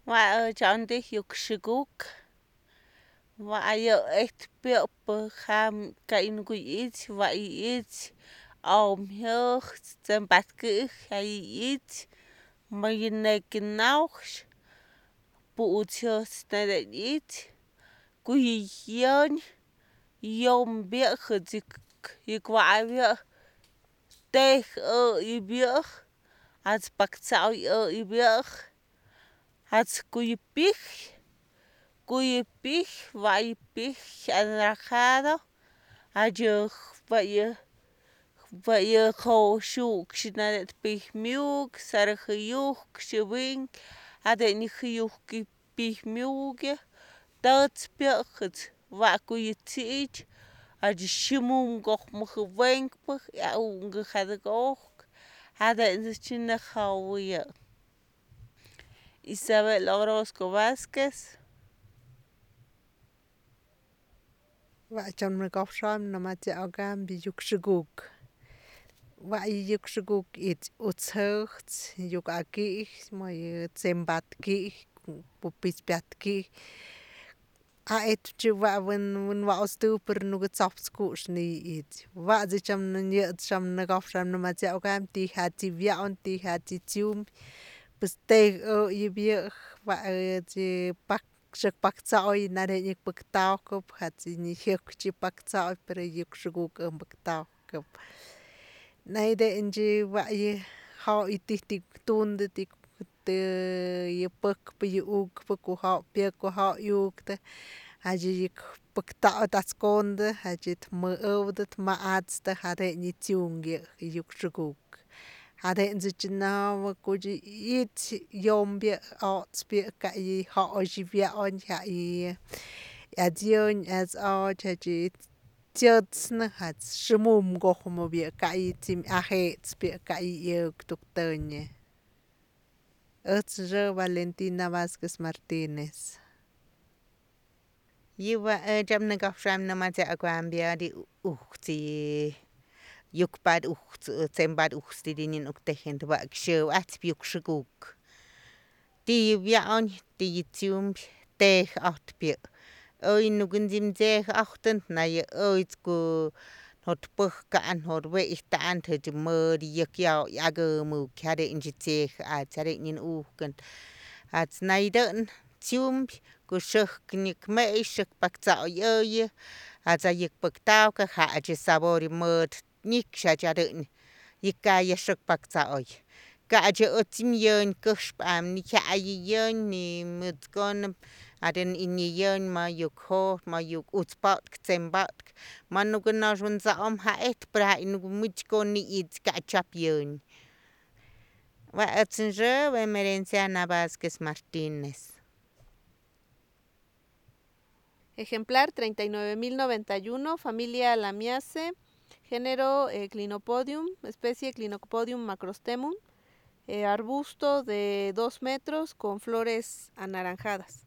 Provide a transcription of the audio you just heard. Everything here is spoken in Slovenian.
Wa chandi yukshiguk. Wa ayo piopa ham kain guich wa ich om hoch zum batkich ich mayinekinauch puutios na ich kuyiyon yom biech dik wa teh ibiech als bakzau ibiech als kuyipich vaipich anaranjado ayo vaya shuk shinadet pich miuk sarajayuk shibin adenijayuk pich miuge tots piojets va kuyitsich ayo shimum goch mujwenk ya ungajadgok aden chinajawiya Isabel Orozco Vázquez. Wa'chon mekofxon namatziaokan biyukxikuk. Wa'yiyukxikuk itz utzjochts yuk'akij moye tsembatkij pupitzpiatkij a'etchi wen wa'ostu per nugutzopskux ni itz wa'dzichon nyetschon negofxon namatziaokan tijatzibia'n tijatzitsium pues tej yibiej wa'chi xikpaktso'oy nare'ñik paktawkop jatziñijiekchi paktso'oy pero yukxikuk paktawkop naide'nchi wa'yi jo'y tijtitunda yupäkpa yä ukpa kujo' pyäk kujo'yu'ktä jadyi'yik päkta'ot atzkontä jadyi't mä'äwtät ma'atztä jade'nyi tziung yä' yukxikuk jade'ntzätchi nawa kutyi itz yompya o'tzpya ka'yi jo'sypya'oy ja'yä 'yatzyäny 'yatzo'och jejtzye tzyätznä jatz shimumnkojmopya ka'yi aje'tzpya ka'yi 'yäktuktänyä äjtz rä Valentina Vazquez Martinez. Yäwä äj nänkojxam nämatzya'kuampyä'ti ujtzi yukpat ujtz tsempat ujtzti'ti'nyan'uktejentä wa'k syäw'ajtz yukxikuk tiyä tiyä tej'ojtpya oy nukuntzi'mtze'ej'ojtät nayä äytz jotpäjka'an jotwe'ijta'an jetzye mät yäk 'yakämuk jade'ntzyi tzye'ja'atz jade'nyi ujkä jatz naitä'n tziump ku syäk nyäkme'y syäk paktzo'oy'äyä jatz ayäkpäktawkä ja'tzye sabor mät nyiksyatzyätä'ny y kaya syäk paktzo'oy ka'tzy ätzi yänh käspa't ni jya'yi yänh ni mätzkonä jade ni yänh mayuk jot mayuk utzpa't tsemпa'tk manukä nosä ntzo'om ja'et pero ja' nuku mätzyko ni'itz ka'tzyap yänh wa ätz nrä Bemerenciana Vázquez Martínez. Ejemplar 39.091, familia Lamiaceae, género Clinopodium, especie Clinopodium macrostemum, arbusto de 2 metros con flores anaranjadas.